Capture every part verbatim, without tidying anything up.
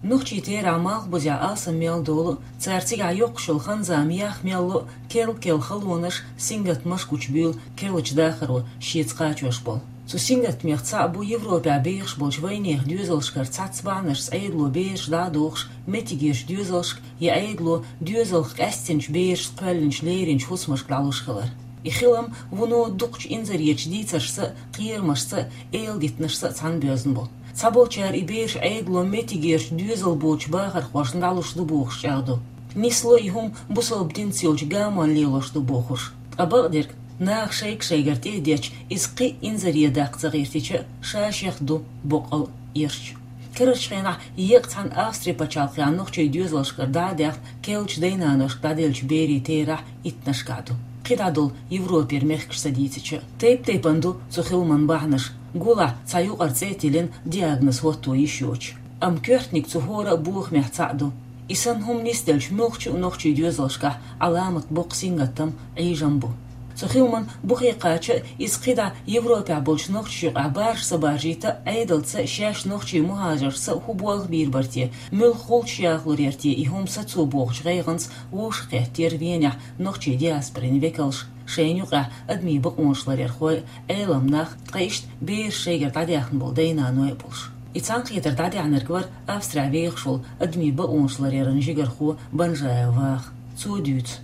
Нохчий терахь малхбузехь алсам мел долу, цара цигахь йоккхуш йолу хан-зама ях мел ло, керл-керла халонаш, сингаттамаш гучубуьйлу керлачу дахаро шеца кхачош болу. Цу сингаттамех цхьаъ бу Европехь бехаш болчу вайнехан доьзалшкара цхьацца бахьанашца Ӏедало бераш дӀа а дохуш, меттигерчу доьзалшка я Ӏедало доьзалх къаьстинчу берашца кхоьллинчу леринчу хӀусамашка дӀалуш хилар. И хилам вуно дукхачу инзаре дийцаршца а, кхерамашца а, эладитанашца а цхьаьна боьзна бу. Цхьаболчара и бераш Ӏедало меттигерчу доьзал боцучу бахархошна дӀалуш ду бохуш чӀагӀдо. Нисло и хӀума бусалба динца йолчу гамонна лелош ду бохуш. Ткъа бакъдерг, наха шайга-шайгара тӀе а детташ, иза кхин а инзаре даккха ца гӀиртича, ша-шех ду боккъал а, эрча. Карарчу хенахь еккъа цхьана Австри пачхьалкхехь нохчий доьзалшкара дӀа а даьхна, керлачу дайнаношка дӀаделлачу берийн терахь иттанашкахь ду. КхидӀа долу Европера мехкаш ца дийцича а. Тайп-тайпана ду цу хиламан бахьанаш, гулахь цхьа юкъара цӀе а тиллина, диагноз хӀотто йиш йоцуш. Амма коьртаниг цу хӀора а бохамех цхьаъ ду. И санна хӀума нисделча, муьлххачу а нохчий доьзалшкахь Ӏаламат боккха сингаттам, Ӏийжам бу. Цу хиламан бухе кхача а, иза кхидӀа Европехь болчу нохчашна юкъахь баржа ца баржийта а, Ӏедалца а, шаьш нохчий мухӀажаршца а хӀун болх бийр бара те, муьлха гӀулчаш яхалур яра те и хӀума сацо бохучу гӀайгӀанца вовшахкхеттера Венехь нохчий диаспорин векалш, шайна юкъахь адамийн бакъонаш ларъярхой а, Ӏеламнах, ткъа иштта бераш шайгара дӀадаьхна болу дай-наной а болуш. И цхьаьнакхетар дӀадаьхьнарг вара Австрехь вехаш волу адамийн бакъонаш ларъяран жигархо Банжаев Ваха. Цо дуьйцу.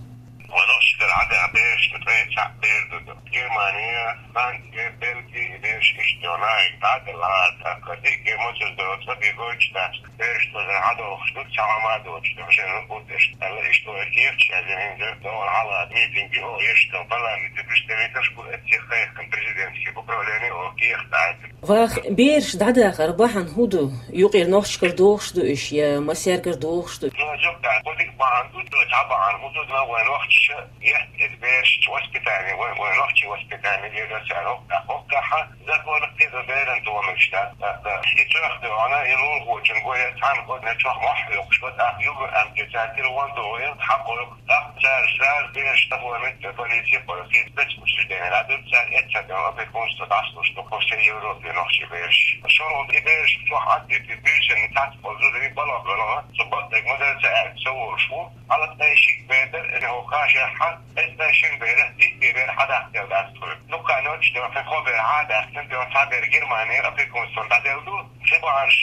Ванах ши дара Ӏадехь берашна ткъе цхьаъ бер ду. Германия, Франция, Бельгия, и бераш иштта йолу нахе дӀа а делла, хӀара тӀаккха диъ германцаш доцу, ца бегойтуш дац. Бераш тӀера Ӏадохуш ду, цхьа хӀума а доцуш ду, шен хӀун гуш деш. Аьлла, иштта вай кехаташ яздина хӀинца, догӀур хьала митинг ю, оха ешкан парламентан представителаш гур эццех кхайкхина президентский управление, оха кехат Ӏайтина. Ваха, бераш дӀадахар бахьана хӀун ду? Юкъера нохчашкара дохуш ду уьш, я массаьргара дохуш ду? Ну, зуьгахь, кхузиг бахьана ду, цхьа бахьана хӀун ду, вайн нохчаша ехь эца бераш воспитание, вайн, вайн нохчийн воспитание лело цара хӀоккхахь, хӀоккхахь законах кхидӀа беран томиш дац, да, да. И цох дуьхьал, и лулахочун гой цхьаьна гой, цох мохь хьоькхуш бу, тӀаккха югу амтица тира вон ду вайн, хьакхойкху. ТӀаккха цара сразу бераш тахой меттиг полиция, полиция спецучреждение дӀадуьллу, цара эццахь дерг опекунство дӀасалуш ду по всей Европе нохчий бераш. ШолгӀа и бераш чохь Ӏаддитий, буьйсанна цхьацца болу зударий балахь-балахь, цу бакъдерг ма-дарра ца аьлча, ца волуш ву. Хьалха ткъе шиъ бер дара, и хӀокху кхачахь, эццахь шина берах диъ бер хьадаккха дац тхуна. Дукха ночь дохьа кхо бер хьа а даьккхина, дуьхьа цхьа бер Германи опекунствон дӀаделла ду. Ши бахьанаш,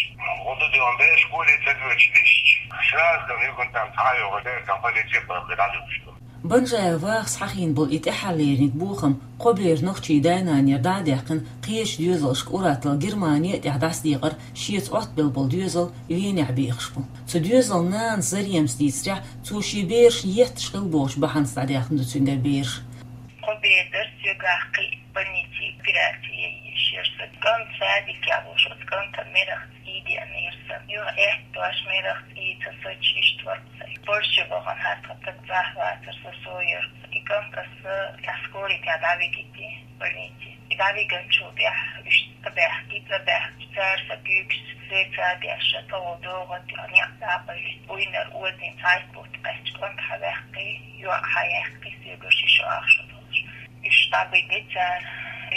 хӀун ду дуьхьа бераш гуле ца доьдуш дисча, сразу дан югунтам цхьа а йогӀу дерг полиция папе дӀадуьгуш ду. Банжаев Вахас хьахийна болу и тӀаьххьарлерниг бохам кхо бер нохчий дай-нанера дӀа а даьккхина, кхечу доьзалшка ур-атталла Германи а тӀехь дӀасадекъар шеца Ӏоттабелла болу доьзал Венехь бехаш бу. Цу доьзалан нанас Заремас дийцарехь, цо шен бераш етташ хилла бохучу бахьанца дӀадаьхна ду цуьнгара бераш. Кхо бер дара соьгахь кхин а больнице операци ян езаш яра сан. КӀант садикехь волуш, оцу кӀантан мерах цӀий деанера сан. Юха аьтту дош мерах цӀий ца соцуш иштта вара сан. Польше бахана хӀара тхан таг цӀахь вацара, со со яра. И кӀант аса тӀехь скоритехь дӀавигийтина больнице. И дӀавигначул тӀаьхьа уьш цӀа баьхкий, цӀа баьхкича цара сан куьйгаш сеца а деш, тӀе волу догӀа тӀе некъ дӀа а кхоьллина, буйнара озийна цхьайтта бутт кхаьчча, кӀант хьаваьккхи, йоӀ хьаяьккхи, соьгара ши шо ах шо долуш. Уьш дӀабигира цара,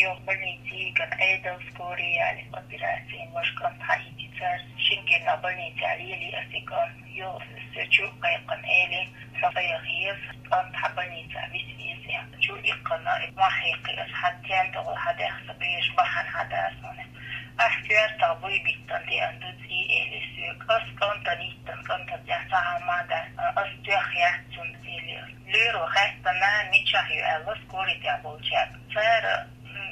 юха больнице йигна, Ӏедал скорый ялийна, операци йина, важа кӀант хьаийци цара. Шина кӀирнах больницехь лелий аса и кӀант, юха соьга чу а кхайкхина, элира: «Хьо ца яха еза, кӀант хьан больницехь виса веза», — аьлла. Чу иккхина, мохь хьекхий аса: «Хьан тен тӀе гӀо хьан даьхса, бераш бахьана хьан даса хьуна». Ахь коьртах буй биттина деана ду цӀий, элира соьга. Ас кӀантана йиттина, кӀантана тӀехь цхьа хӀума а дац, ас тоьхна яц цунна, элира. Лоьро хаьттина, нана мичахь ю аьлла, скоритехь болчаьрга. Цара: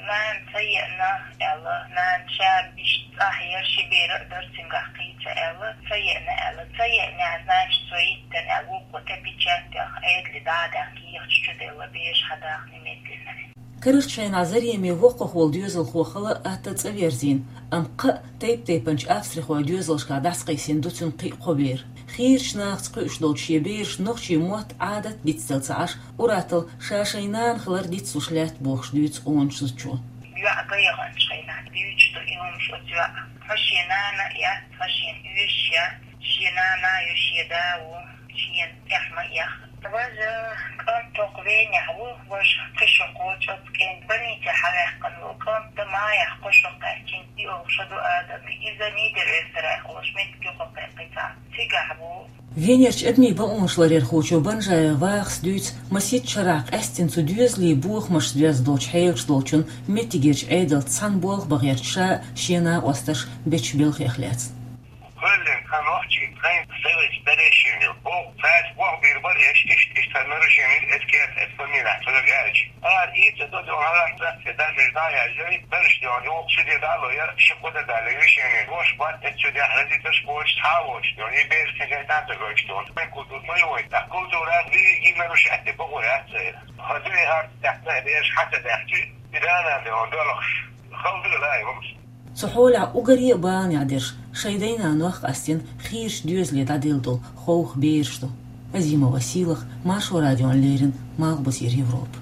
«Нана ца еана», — аьлла, нана ша иштта цӀахь яра, ши бер а дара цуьнгахь кхин а ца аьлла, ца еана аьлла, ца еана аьлла, значит, цо йиттина аьлла, вукхо тӀе печать а яьхна, Ӏедале дӀа а даьхна, кехаташ чу делла, бераш хьадахна немедленно. Карарчу хенахь Зареме воккхах волу доьзалхо хала а атта цӀа верзийна, амма кхаа тайп-тайпанчу австрихойн доьзалшкахь дӀасакхийсина ду цуьнан кхин а кхо бер. Хийрачу нахаца кхуьуш долчу шен берашна нохчийн мотт, Ӏадат дицделла ца Ӏаш, ур-атталла ша шайн нана хилар дицлуш лаьтта бохуш дуьйцу къоначу зудчо. ЙоӀ гӀайгӀанчу хенахь дуьйцуш ду и хӀумаш оцу йоӀа. Хьо шен нана а яц, хьо шена оьшуш яц, шен нана а ю, шен да а ву, шена тӀехь ма эха. Важа кӀант хӀокху Венехь ву, важа кхин шо кхочу оцу кӀентан. Больницехь хьаваьккхина волу кӀант дан Майах кхо шо кхаьчна, и олуш ду адамийн. Иза Нидер-Эстерайх волуш меттиг юха кхайкхий цхьа. Венерчу адамийн бакъонашларъярхочо Банжаева Вахас дуьйцу, масех шарахь къаьсттина цу доьзалийн бохамашца доьзна долчу хьелаш долчунна меттигерчу Ӏедалца цхьаьна болх бан гӀерташ ша а, шен накъосташа а бечу белхех лаьцна. Кхоьллина тхан нохчийн тхайн совет старейшинел боху, цаьрца болх бийр бара, эш иштта, иштта нарушение, эца кертахь, эца фамилехь цунах аьлча. Ара ийца до дон хьалахца, и даже дӀаяжай, дараш дон, юха ши де дало я, ши кхо де дале, решение дош бат, эца чу дехь разиташ боч, цхьа воч дон, и бераш кхин шайтан ца гойтуш дон. Майн культура ма ю вай, так культура, виги нарушать де боху яц церан. Хазуй хьарт тахта, бераш хьаца дахчи, и дана де он долахш. Халдыла ай вамс. Цу хьолехь уггаре а баланехь дерш шайн дай-наной къастина хийрачу доьзале дӀаделла долу ховха бераш ду. Азимова Сийлаха, Маршо радиона леррина, Малхбузера Европа.